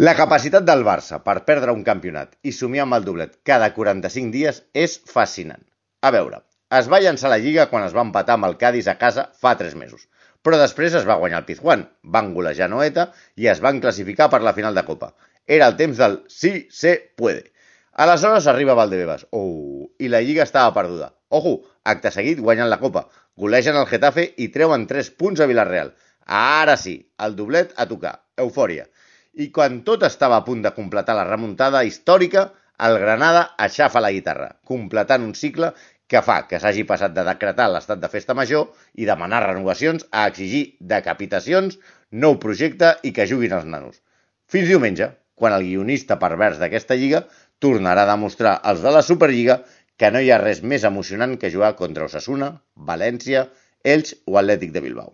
La capacitat del Barça per perdre un campionat i somiar amb el doblet cada 45 dies és fascinant. A veure, es va llançar la Lliga quan es va empatar amb el Cádiz a casa fa 3 mesos, però després es va guanyar el Pizjuán, van golejar Noeta i es van classificar per la final de Copa. Era el temps del sí se puede. Aleshores arriba Valdebebas, i la Lliga estava perduda. Ojo, acte seguit guanyen la Copa, golegen el Getafe i treuen 3 punts a Villarreal. Ara sí, el doblet a tocar, eufòria. I quan tot estava a punt de completar la remuntada històrica, el Granada aixafa la guitarra, completant un cicle que fa que s'hagi passat de decretar l'estat de festa major i demanar renovacions a exigir decapitacions, nou projecte i que juguin els nanos. Fins diumenge, quan el guionista pervers d'aquesta lliga tornarà a demostrar als de la Superliga que no hi ha res més emocionant que jugar contra Osasuna, València, Elx o Atlètic de Bilbao.